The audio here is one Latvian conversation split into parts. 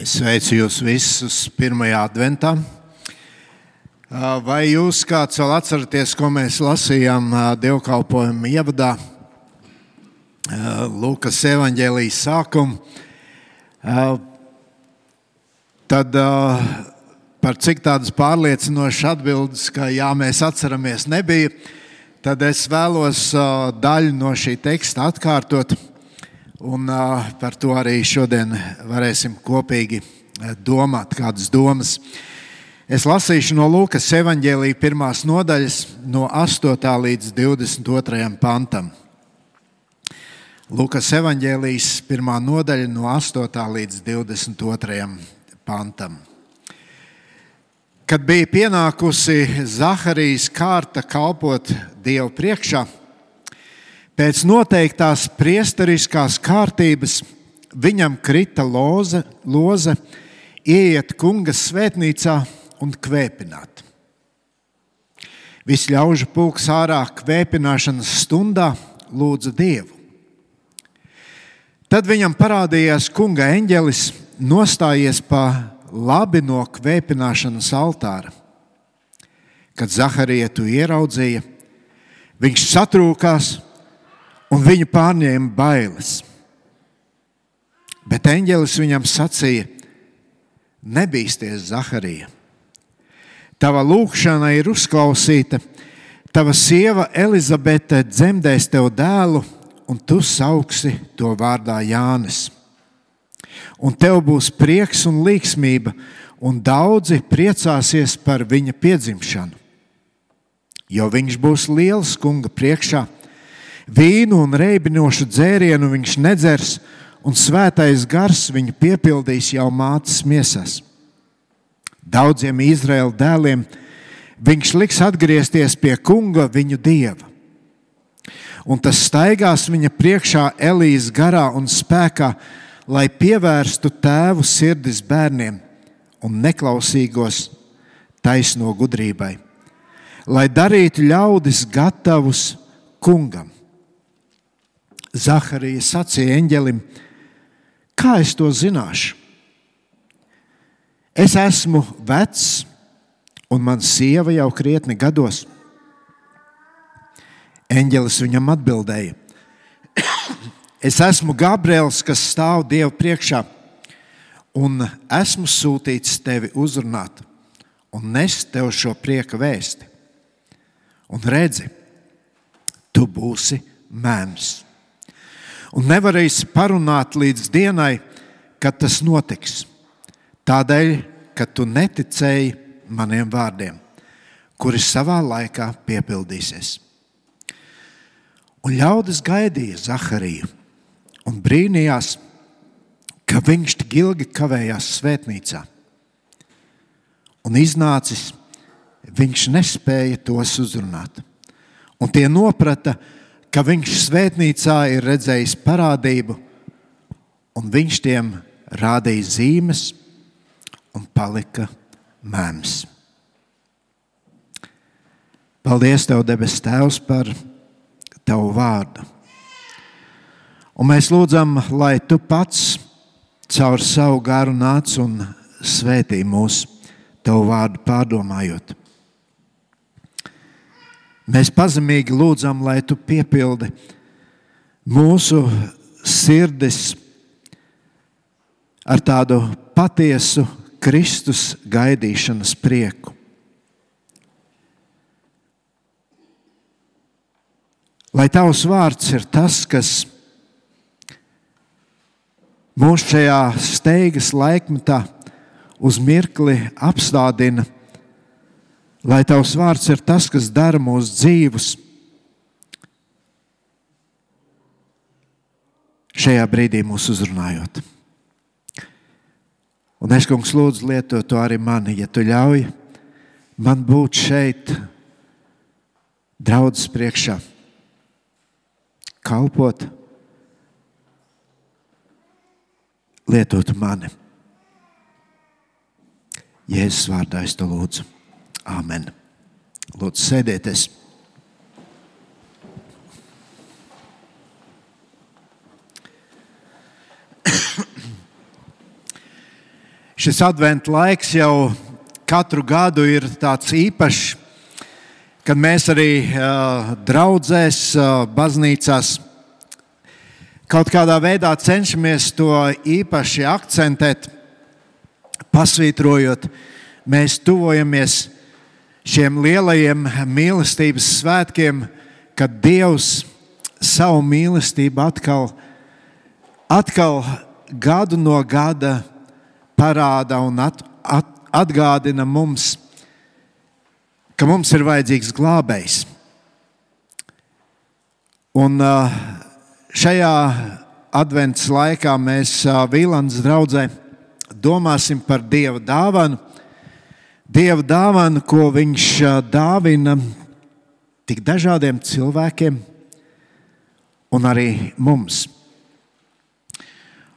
Es sveicu jūs visus pirmajā adventā. Vai jūs kāds vēl atceraties, ko mēs lasījām dievkalpojuma ievadā, Lūkas evaņģēlijas sākumu? Tad par cik tādas pārliecinošas atbildes, ka jā, mēs atceramies, nebija, tad es vēlos daļu no šī teksta atkārtot. Un par to arī šodien varēsim kopīgi domāt, kādas domas. Es lasīšu no Lūkas evaņģēlija 1. nodaļas, no 8. līdz 22. pantam. Lūkas evaņģēlijas 1. nodaļa, no 8. līdz 22. pantam. Kad bija pienākusi Zaharijas kārta kalpot Dievu priekšā, pēc noteiktās priesteriskās kārtības viņam krita loze ieiet kunga svētnīcā un kvēpināt. Viss ļaužu pulks ārā kvēpināšanas stundā lūdza Dievu. Tad viņam parādījās kunga eņģelis, nostājies pa labi no kvēpināšanas altāra. Kad Zaharija to ieraudzīja, viņš satrūkās un viņu pārņēma bailes. Bet eņģelis viņam sacīja: nebīsties, Zaharija. Tava lūgšana ir uzklausīta, tava sieva Elizabete dzemdēs tev dēlu, un tu sauksi to vārdā Jānis. Un tev būs prieks un līgsmība, un daudzi priecāsies par viņa piedzimšanu. Jo viņš būs liels kunga priekšā, vīnu un reibinošu dzērienu viņš nedzers, un svētais gars viņu piepildīs jau mātes miesās. Daudziem Izraēla dēliem viņš liks atgriezties pie kunga viņu dieva. Un tas staigās viņa priekšā Elijas garā un spēkā, lai pievērstu tēvu sirdis bērniem un neklausīgos taisno gudrībai, lai darītu ļaudis gatavus kungam. Zaharija sacīja eņģelim: kā es to zināšu? Es esmu vecs, un man sieva jau krietni gados. Eņģelis viņam atbildēja: es esmu Gabriels, kas stāv Dievu priekšā, un esmu sūtīts tevi uzrunāt un nest tev šo prieka vēsti. Un redzi, tu būsi mēms. Un nevarēsi parunāt līdz dienai, kad tas notiks. Tādēļ, ka tu neticēji maniem vārdiem, kuri savā laikā piepildīsies. Un ļaudis gaidīja Zahariju un brīnījās, ka viņš tik ilgi kavējās svētnīcā. Un iznācis, viņš nespēja tos uzrunāt. Un tie noprata, ka viņš svētnīcā ir redzējis parādību, un viņš tiem rādīja zīmes un palika mēms. Paldies Tev, debes Tēvs, par Tavu vārdu. Un mēs lūdzam, lai Tu pats caur savu garu nāc un svētī mūs Tavu vārdu pārdomājot. Mēs pazemīgi lūdzam, lai Tu piepildi mūsu sirdis ar tādu patiesu Kristus gaidīšanas prieku. Lai Tavs vārds ir tas, kas mūs šajā steigas laikmetā uz mirkli apstādina. Lai Tavs vārds ir tas, kas dara mūs dzīvus šajā brīdī mūs uzrunājot. Un es, kungs, lūdzu lietot to arī mani, ja Tu ļauj man būt šeit draudzes priekšā, kalpot, lietot mani. Jēzus vārdā es to lūdzu. Āmen. Lūdzu, sēdieties. Šis adventa laiks jau katru gadu ir tāds īpašs, kad mēs arī draudzēs, baznīcās kaut kādā veidā cenšamies to īpaši akcentēt, pasvītrojot, mēs tuvojamies šiem lielajiem mīlestības svētkiem, kad Dievs savu mīlestību atkal gadu no gada parāda un atgādina mums, ka mums ir vajadzīgs glābējs. Un šajā adventas laikā mēs Vīlandes draudzē domāsim par Dieva dāvanu. Dieva dāvanu, ko viņš dāvina tik dažādiem cilvēkiem un arī mums.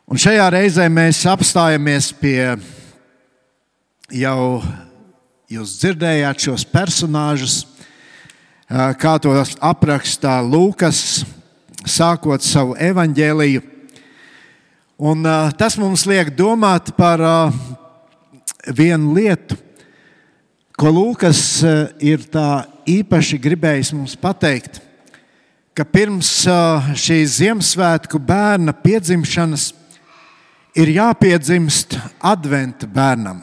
Un šajā reizē mēs apstājamies pie jau jūs dzirdējāt šos personāžus, kā tos aprakstā Lūkas, sākot savu evaņģēliju. Un tas mums liek domāt par vienu lietu, ko Lūkas ir tā īpaši gribējis mums pateikt, ka pirms šīs Ziemassvētku bērna piedzimšanas ir jāpiedzimst adventa bērnam.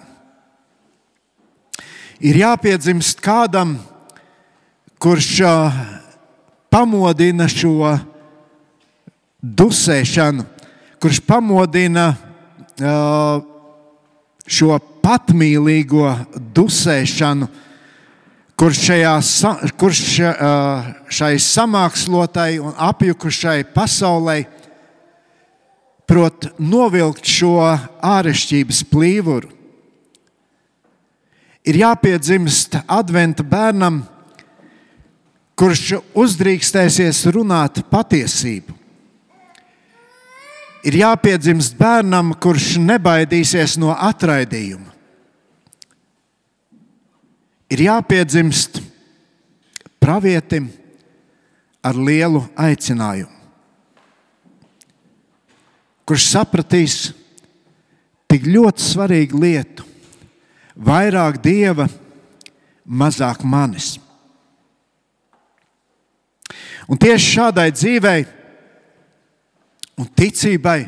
Ir jāpiedzimst kādam, kurš pamodina šo dusēšanu, kurš pamodina šo patmīlīgo dusēšanu, kurš šai samākslotai un apjukušai pasaulei prot novilkt šo ārešķības plīvuru. Ir jāpiedzimst adventa bērnam, kurš uzdrīkstēsies runāt patiesību. Ir jāpiedzimst bērnam, kurš nebaidīsies no atraidījuma. Ir jāpiedzimst pravietim ar lielu aicinājumu, kurš sapratīs tik ļoti svarīgu lietu: vairāk Dieva, mazāk manis. Un tieši šādai dzīvei un ticībai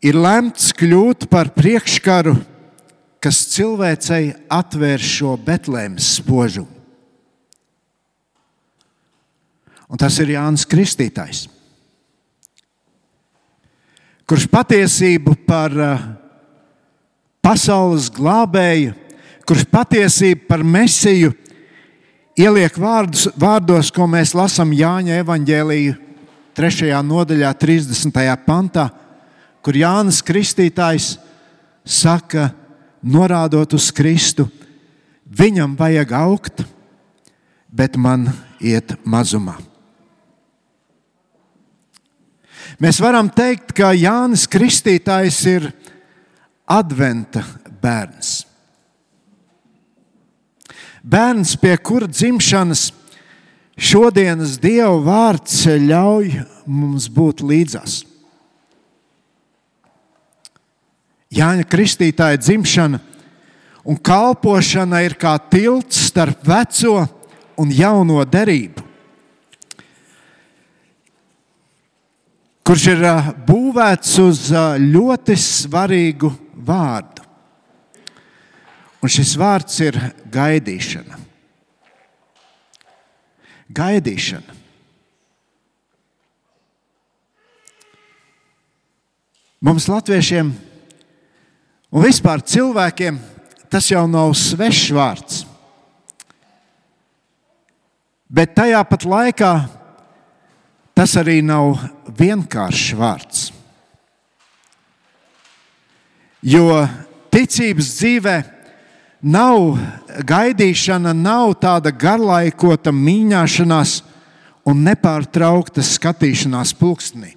ir lemts kļūt par priekškaru, kas cilvēcei atvēr šo Betlēmes spožumu. Un tas ir Jānis Kristītājs, kurš patiesību par pasaules glābēju, kurš patiesību par Mesiju ieliek vārdos, ko mēs lasām Jāņa evaņģēliju 3. nodaļā, 30. pantā, kur Jānis Kristītājs saka, norādot uz Kristu: viņam vajag augt, bet man iet mazumā. Mēs varam teikt, ka Jānis Kristītājs ir adventa bērns. Bērns, pie kura dzimšanas šodienas Dieva vārds ļauj mums būt līdzās. Jāņa Kristītāja dzimšana un kalpošana ir kā tilts starp veco un jauno derību, kurš ir būvēts uz ļoti svarīgu vārdu. Un šis vārds ir gaidīšana. Gaidīšana. Mums latviešiem un vispār cilvēkiem tas jau nav svešs vārds. Bet tajā pat laikā tas arī nav vienkāršs vārds. Jo ticības dzīvē nav gaidīšana, nav tāda garlaikota mīņāšanās un nepārtraukta skatīšanās pulkstenī.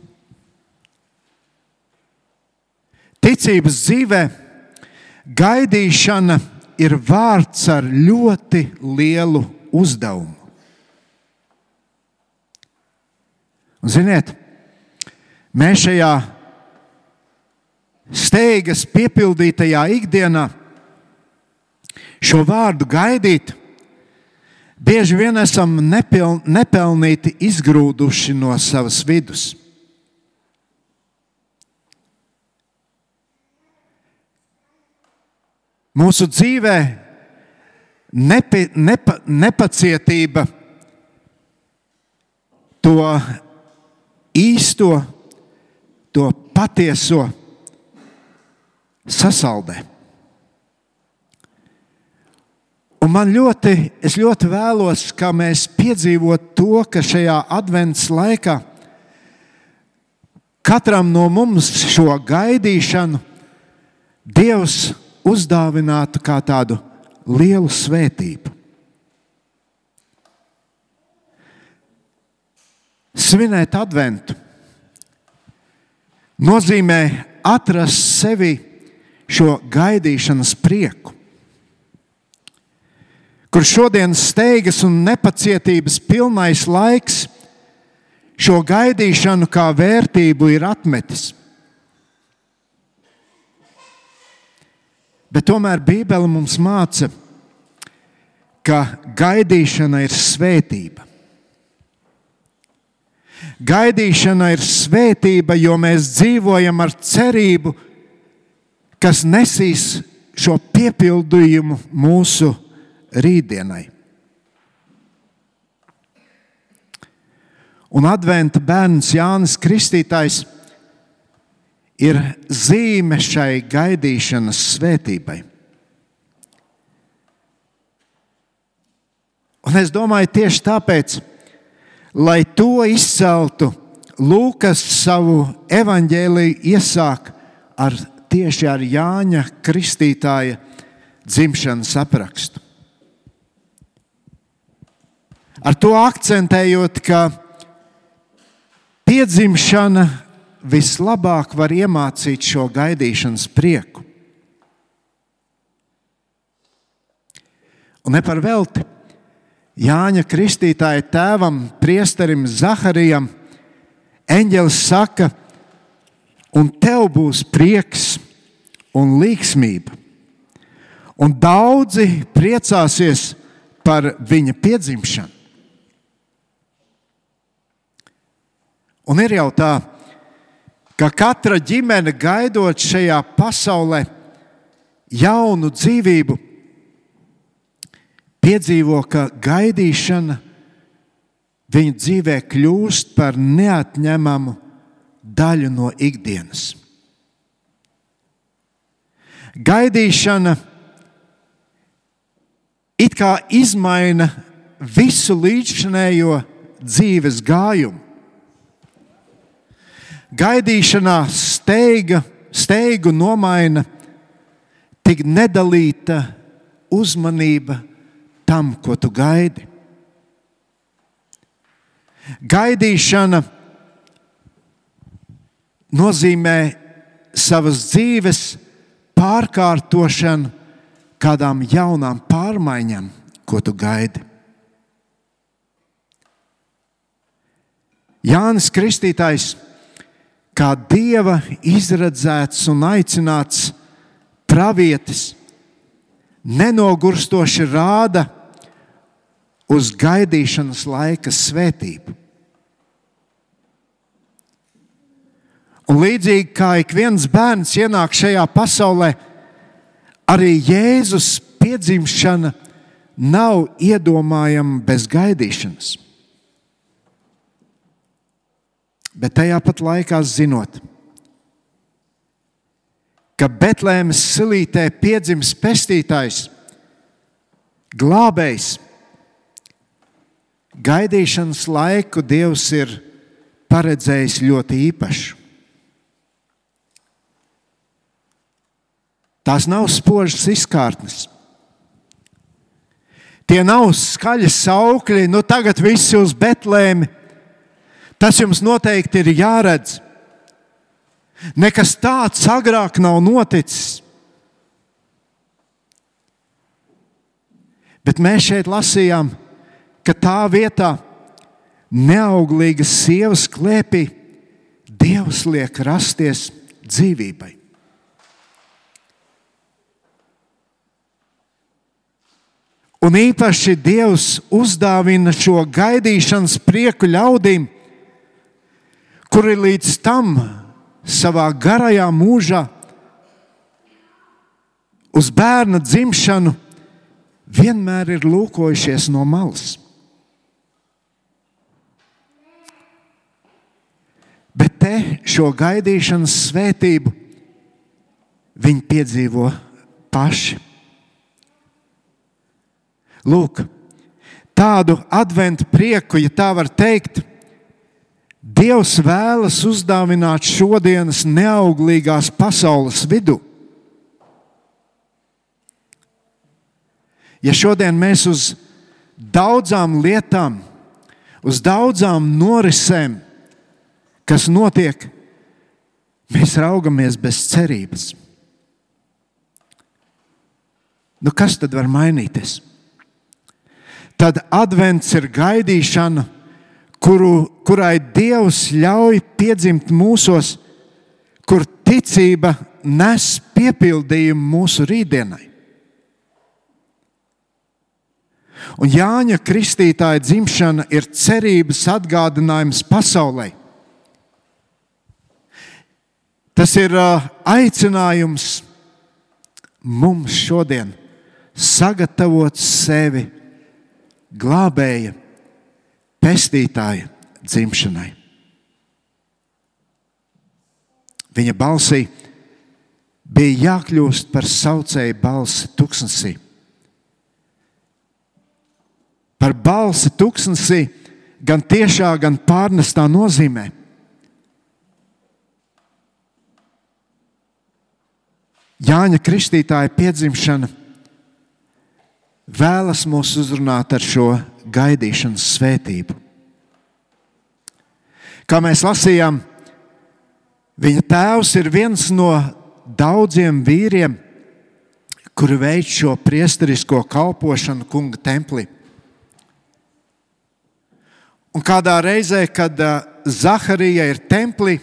Ticības dzīvē gaidīšana ir vārds ar ļoti lielu uzdevumu. Un, ziniet, mēs šajā steigas piepildītajā ikdienā šo vārdu gaidīt, bieži vien esam nepelnīti izgrūduši no savas vidus. Mūsu dzīvē nepacietība to īsto, to patieso sasaldē. Un es ļoti vēlos, ka mēs piedzīvotu to, ka šajā advents laikā katram no mums šo gaidīšanu Dievs uzdāvinātu kā tādu lielu svētību. Svinēt adventu nozīmē atrast sevi šo gaidīšanas prieku, kur šodienas steigas un nepacietības pilnais laiks šo gaidīšanu kā vērtību ir atmetis. Bet tomēr Bībele mums māca, ka gaidīšana ir svētība. Gaidīšana ir svētība, jo mēs dzīvojam ar cerību, kas nesīs šo piepildījumu mūsu rītdienai. Un adventa bērns Jānis Kristītājs ir zīme šai gaidīšanas svētībai. Un es domāju, tieši tāpēc, lai to izceltu, Lūkas savu evaņģēliju iesāk tieši ar Jāņa Kristītāja dzimšanas aprakstu. Ar to akcentējot, ka piedzimšana vislabāk var iemācīt šo gaidīšanas prieku. Un ne par velti Jāņa Kristītāja tēvam, priesterim Zaharijam, eņģelis saka, un tev būs prieks un līgsmība. Un daudzi priecāsies par viņa piedzimšanu. Un ir jau tā, ka katra ģimene gaidot šajā pasaulē jaunu dzīvību, piedzīvo, ka gaidīšana viņa dzīvē kļūst par neatņemamu daļu no ikdienas. Gaidīšana it kā izmaina visu līdzšinējo dzīves gājumu. Gaidīšanā steigu nomaina tik nedalīta uzmanība tam, ko tu gaidi. Gaidīšana nozīmē savas dzīves pārkārtošanu kādām jaunām pārmaiņām, ko tu gaidi. Jānis Kristītājs, kā Dieva izredzēts un aicināts pravietis, nenogurstoši rāda uz gaidīšanas laika svētību. Un līdzīgi kā ik viens bērns ienāk šajā pasaulē, arī Jēzus piedzimšana nav iedomājama bez gaidīšanas. Bet tajā pat laikā zinot, ka Betlēmes silītē piedzims pestītājs, glābējs, gaidīšanas laiku Dievs ir paredzējis ļoti īpašu. Tās nav spožas izkārtnes. Tie nav skaļi saukļi, tagad visi uz Betlēmi. Tas jums noteikti ir jāredz. Nekas tāds agrāk nav noticis. Bet mēs šeit lasījām, ka tā vietā neauglīgas sievas klēpī Dievs liek rasties dzīvībai. Un īpaši Dievs uzdāvina šo gaidīšanas prieku ļaudīm, kuri līdz tam savā garajā mūžā uz bērna dzimšanu vienmēr ir lūkojušies no malas. Bet te šo gaidīšanas svētību viņi piedzīvo paši. Lūk, tādu adventu prieku, ja tā var teikt, Dievs vēlas uzdāvināt šodienas neauglīgās pasaules vidū. Ja šodien mēs uz daudzām lietām, uz daudzām norisēm, kas notiek, mēs raugamies bez cerības. Nu, kas tad var mainīties? Tad advents ir gaidīšana, kurai Dievs ļauj piedzimt mūsos, kur ticība nes piepildījumu mūsu rītdienai. Un Jāņa Kristītāja dzimšana ir cerības atgādinājums pasaulei. Tas ir aicinājums mums šodien sagatavot sevi glābēja, pestītāja dzimšanai. Viņa balsī bija jākļūst par saucēju balsi tuksnesī. Par balsi tuksnesī gan tiešā, gan pārnestā nozīmē. Jāņa Kristītāja piedzimšana vēlas mūs uzrunāt ar šo gaidīšanas svētību. Kā mēs lasījām, viņa tēvs ir viens no daudziem vīriem, kuri veic šo priesterisko kalpošanu kunga templī. Un kādā reizē, kad Zaharija ir templī,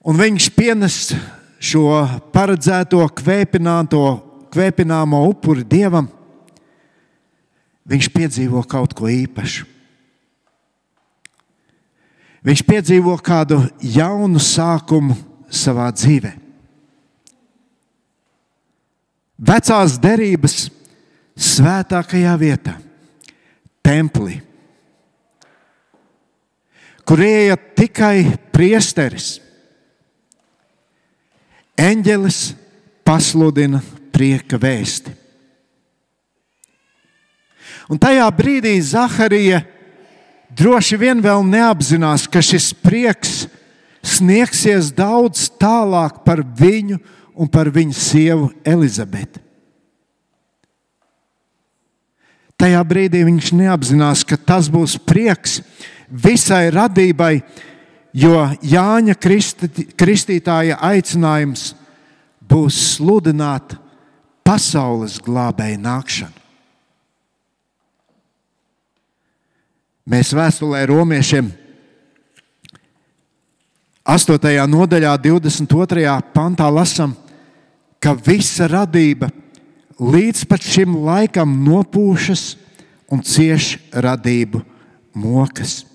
un viņš pienes šo paredzēto kvēpināmo upuri Dievam, viņš piedzīvo kaut ko īpašu. Viņš piedzīvo kādu jaunu sākumu savā dzīvē. Vecās derības svētākajā vietā, templī, kur ieiet tikai priesteris, eņģelis pasludina prieka vēsti. Un tajā brīdī Zaharija droši vien vēl neapzinās, ka šis prieks sniegsies daudz tālāk par viņu un par viņa sievu Elizabeti. Tajā brīdī viņš neapzinās, ka tas būs prieks visai radībai, jo Jāņa Kristītāja aicinājums būs sludināt pasaules glābēja nākšanu. Mēs vēstulē Romiešiem 8. nodaļā 22. pantā lasām, ka visa radība līdz pat šim laikam nopūšas un cieš radību mokas.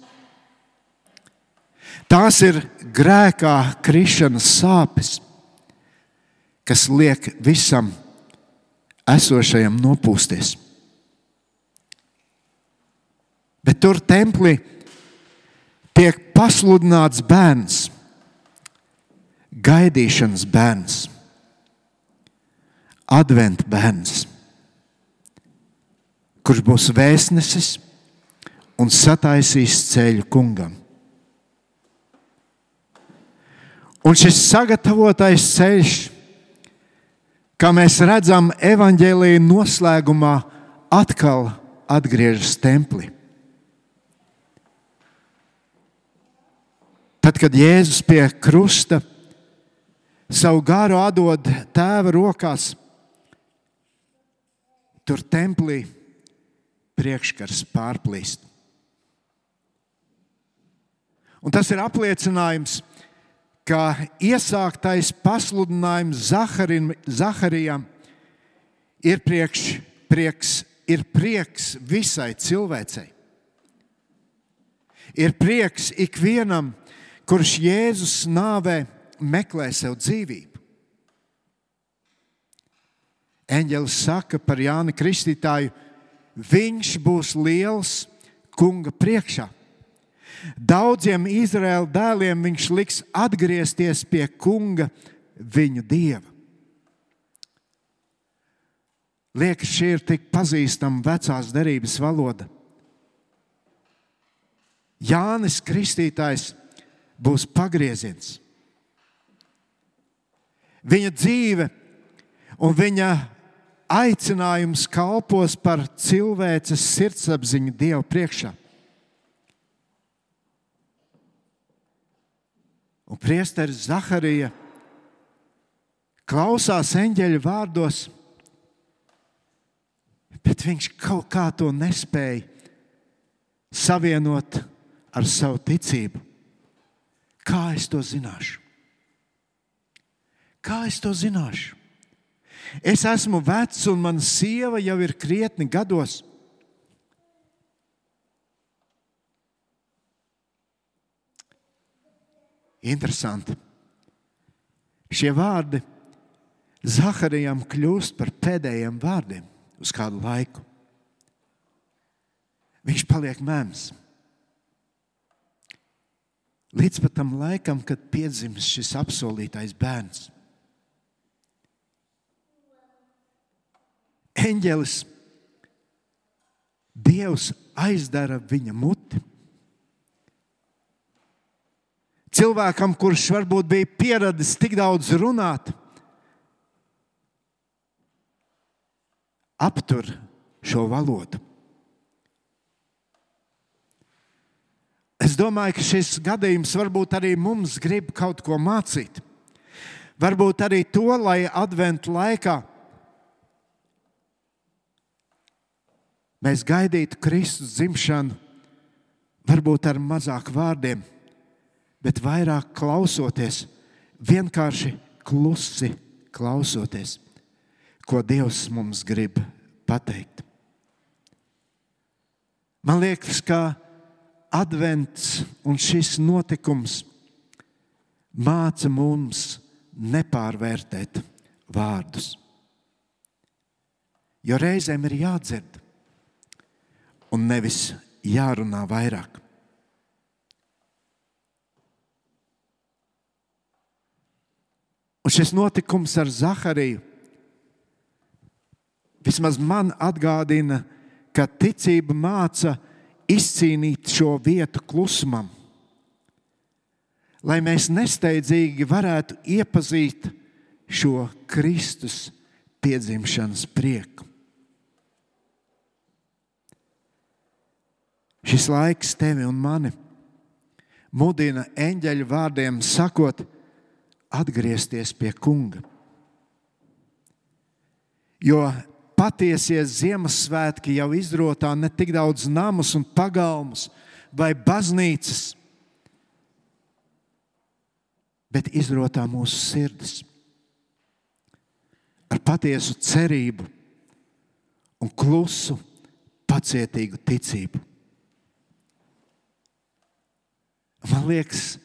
Tās ir grēkā krišanas sāpes, kas liek visam esošajam nopūsties. Bet tur templī tiek pasludināts bērns, gaidīšanas bērns, adventa bērns, kurš būs vēstnesis un sataisīs ceļu kungam. Un šis sagatavotais ceļš, kā mēs redzam evaņģēlija noslēgumā, atkal atgriežas templī. Tad, kad Jēzus pie krusta savu garu atdod Tēva rokās, tur templī priekškars pārplīst. Un tas ir apliecinājums, ka iesāktais pasludinājums Zaharijam ir prieks ir prieks visai cilvēcei. Ir prieks ikvienam, kurš Jēzus nāvē meklē sev dzīvību. Eņģelis saka par Jāni Kristītāju, viņš būs liels kunga priekšā. Daudziem Izraēla dēliem viņš liks atgriezties pie kunga, viņu dieva. Liekas, šī ir tik pazīstama vecās derības valoda. Jānis Kristītājs būs pagrieziens. Viņa dzīve un viņa aicinājums kalpos par cilvēces sirdsapziņu Dieva priekšā. Un priesteris Zaharija klausās eņģeļa vārdos, bet viņš kaut kā to nespēja savienot ar savu ticību. Kā es to zināšu? Kā es to zināšu? Es esmu vecs un mana sieva jau ir krietni gados. Interesanti. Šie vārdi Zaharijam kļūst par pēdējiem vārdiem uz kādu laiku. Viņš paliek mēms. Līdz pat tam laikam, kad piedzims šis apsolītais bērns. Eņģelis, Dievs aizdara viņa muti. Cilvēkam, kurš varbūt bija pieradis tik daudz runāt, aptur šo valodu. Es domāju, ka šis gadījums varbūt arī mums grib kaut ko mācīt. Varbūt arī to, lai adventu laikā mēs gaidītu Kristus dzimšanu, varbūt ar mazāk vārdiem, bet vairāk klausoties, vienkārši klusi klausoties, ko Dievs mums grib pateikt. Man liekas, ka advents un šis notikums māca mums nepārvērtēt vārdus. Jo reizēm ir jādzird un nevis jārunā vairāk. Un šis notikums ar Zahariju vismaz man atgādina, ka ticība māca izcīnīt šo vietu klusumam, lai mēs nesteidzīgi varētu iepazīt šo Kristus piedzimšanas prieku. Šis laiks tevi un mani mudina eņģeļu vārdiem sakot, atgriezties pie kunga. Jo patiesie Ziemassvētki jau izrotā ne tik daudz namus un pagalmus vai baznīcas, bet izrotā mūsu sirdis ar patiesu cerību un klusu, pacietīgu ticību. Man liekas,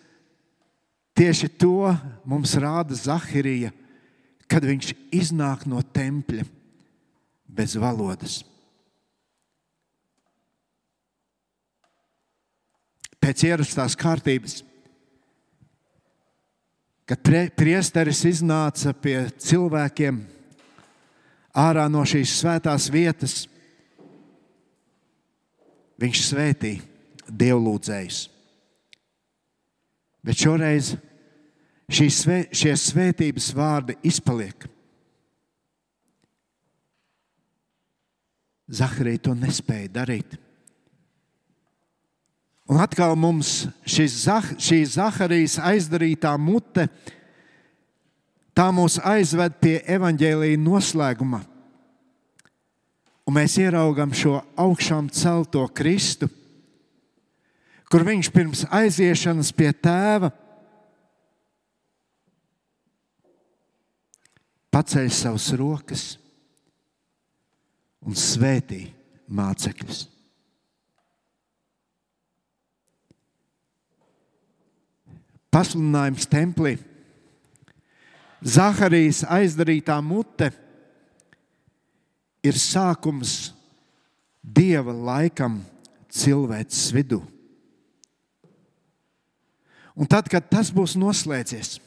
tieši to mums rāda Zaharija, kad viņš iznāk no tempļa bez valodas. Pēc ierastās kārtības, kad priesteris iznāca pie cilvēkiem ārā no šīs svētās vietas, viņš svētīja dievlūdzējus. Bet šoreiz šie svētības vārdi izpaliek. Zaharija to nespēja darīt. Un atkal mums šī Zaharijas aizdarītā mute, tā mūs aizved pie evaņģēlija noslēguma. Un mēs ieraugam šo augšām celto Kristu, kur viņš pirms aiziešanas pie tēva paceļ savas rokas un svētī mācekļus. Pasludinājums templī. Zaharijas aizdarītā mute ir sākums Dieva laikam cilvēces vidū. Un tad, kad tas būs noslēdzies,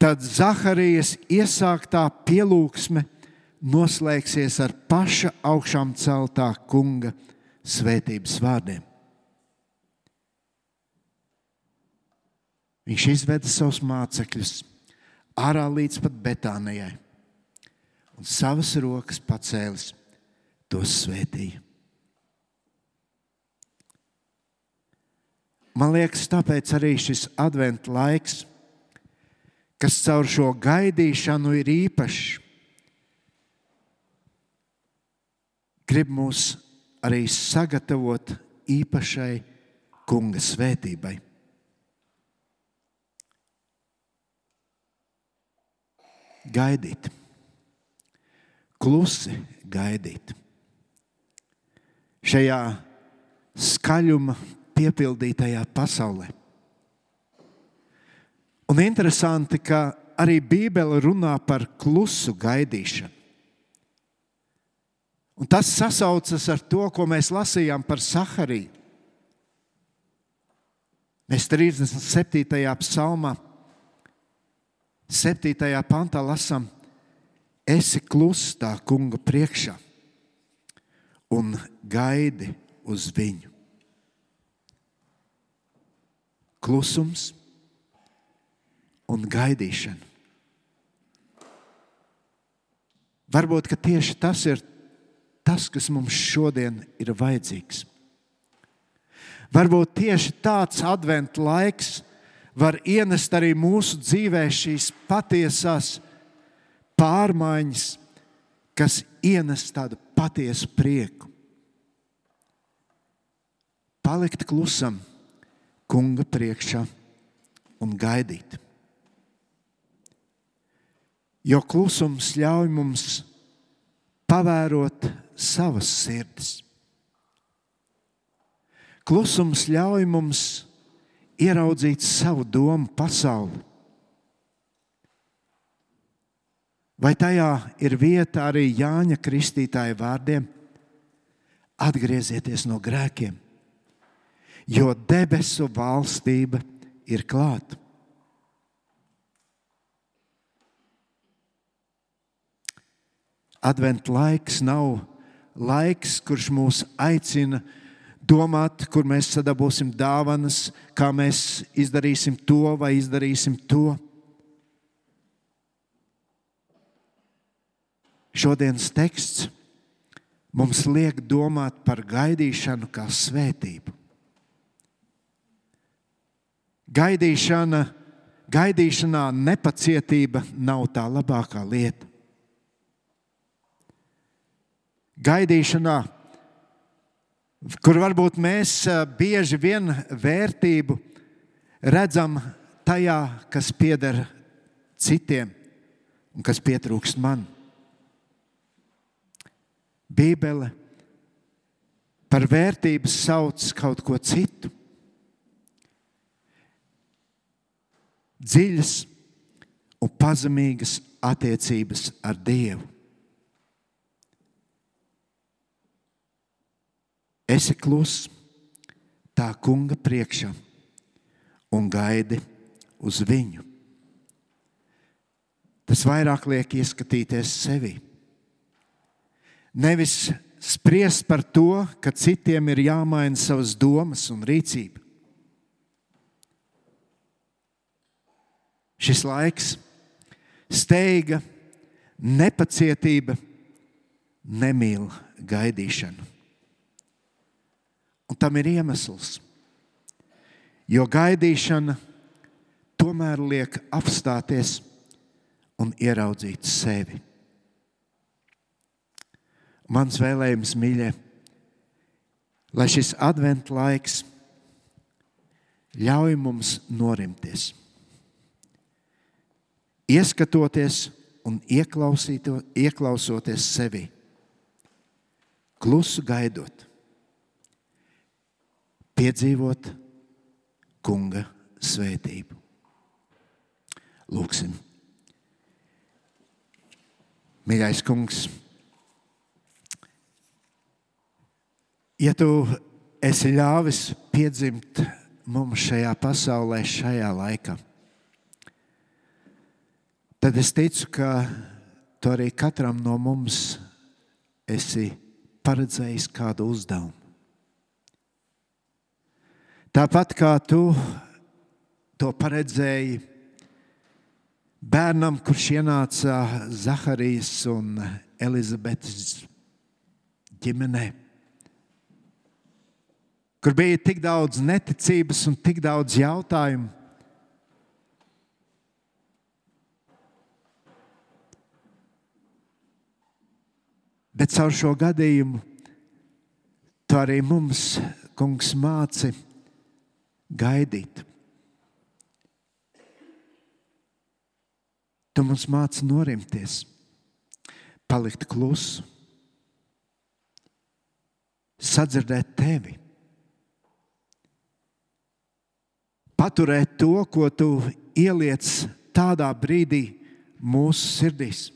tad Zaharijas iesāktā pielūgsme noslēgsies ar paša augšām celtā kunga svētības vārdiem. Viņš izveda savus mācekļus ārā līdz pat Betānijai un savas rokas pacēlis, tos svētīja. Man liekas, tāpēc arī šis adventa laiks, kas caur šo gaidīšanu ir īpašs, grib mūs arī sagatavot īpašai kunga svētībai. Gaidīt. Klusi gaidīt. Šajā skaļuma piepildītajā pasaulē. Un interesanti, ka arī Bībele runā par klusu gaidīšanu. Un tas sasaucas ar to, ko mēs lasījām par Zahariju. Mēs 37. psalmā, 7. pantā lasām: esi kluss tā kunga priekšā un gaidi uz viņu. Klusums un gaidīšana. Varbūt, ka tieši tas ir tas, kas mums šodien ir vajadzīgs. Varbūt tieši tāds adventa laiks var ienest arī mūsu dzīvē šīs patiesās pārmaiņas, kas ienes tādu patiesu prieku. Palikt klusam kunga priekšā un gaidīt. Jo klusums ļauj mums pavērot savas sirdis. Klusums ļauj mums ieraudzīt savu domu pasauli. Vai tajā ir vieta arī Jāņa Kristītāja vārdiem: atgriezieties no grēkiem, jo debesu valstība ir klāta. Adventa laiks nav laiks, kurš mūs aicina domāt, kur mēs sadabūsim dāvanas, kā mēs izdarīsim to vai izdarīsim to. Šodienas teksts mums liek domāt par gaidīšanu kā svētību. Gaidīšanā nepacietība nav tā labākā lieta. Gaidīšanā, kur varbūt mēs bieži vien vērtību redzam tajā, kas pieder citiem un kas pietrūkst man. Bībele par vērtības sauc kaut ko citu. Dziļas un pazemīgas attiecības ar Dievu. Esi kluss tā kunga priekšā un gaidi uz viņu. Tas vairāk liek ieskatīties sevi. Nevis spriest par to, ka citiem ir jāmaina savas domas un rīcība. Šis laiks, steiga, nepacietība nemīl gaidīšanu. Un tam ir iemesls, jo gaidīšana tomēr liek apstāties un ieraudzīt sevi. Mans vēlējums, mīļie, lai šis adventa laiks ļauj mums norimties, ieskatoties un ieklausoties sevi klusu gaidot, piedzīvot Kunga svētību. Lūksim. Mīļais Kungs, ja Tu esi ļāvis piedzimt mums šajā pasaulē, šajā laikā, tad es ticu, ka Tu arī katram no mums esi paredzējis kādu uzdevumu. Tāpat kā Tu to paredzēji bērnam, kurš ienāca Zaharijas un Elizabetes ģimenē, kur bija tik daudz neticības un tik daudz jautājumu. Bet caur šo gadījumu Tu arī mums, Kungs, māci gaidīt. Tu mums māci norimties, palikt klusu, sadzirdēt Tevi, paturēt to, ko Tu ieliec tādā brīdī mūsu sirdīs.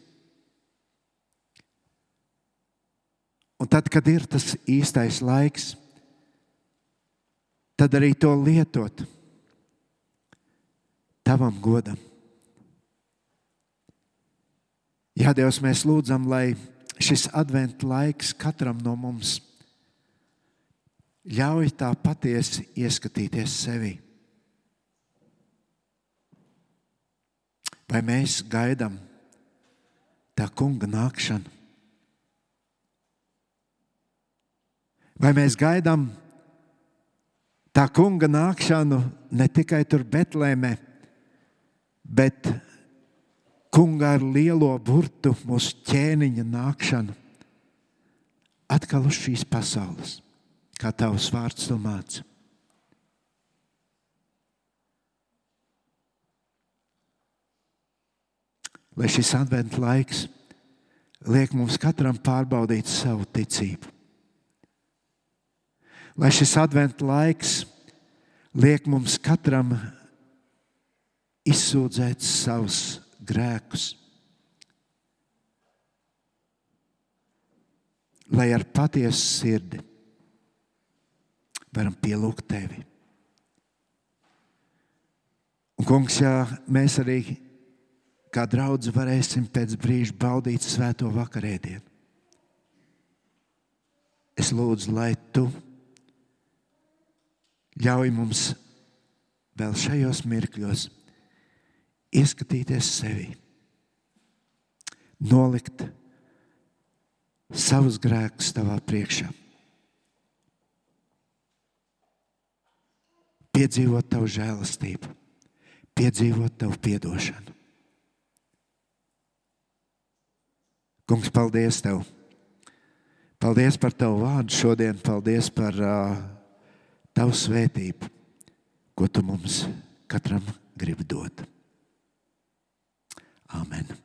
Un tad, kad ir tas īstais laiks, tad arī to lietot Tavam godam. Jā, Dievs, mēs lūdzam, lai šis adventa laiks katram no mums ļauj tā patiesi ieskatīties sevi. Vai mēs gaidām tā Kunga nākšanu? Vai mēs gaidām tā Kunga nākšanu ne tikai tur Betlēmē, bet Kunga ar lielo burtu mūsu ķēniņa nākšanu atkal uz šīs pasaules, kā Tavs vārds to māca? Lai šis adventa laiks liek mums katram pārbaudīt savu ticību. Lai šis adventa laiks liek mums katram izsūdzēt savus grēkus. Lai ar patiesu sirdi varam pielūgt Tevi. Un, Kungs, ja mēs arī kā draudze varēsim pēc brīža baudīt svēto vakarēdienu, es lūdzu, lai Tu ļauj mums vēl šajos mirkļos ieskatīties sevi, nolikt savus grēkus Tavā priekšā, piedzīvot Tavu žēlastību, piedzīvot Tavu piedošanu. Kungs, paldies Tev! Paldies par Tavu vārdu šodien, paldies par Tavu svētību, ko Tu mums katram gribi dot. Amen.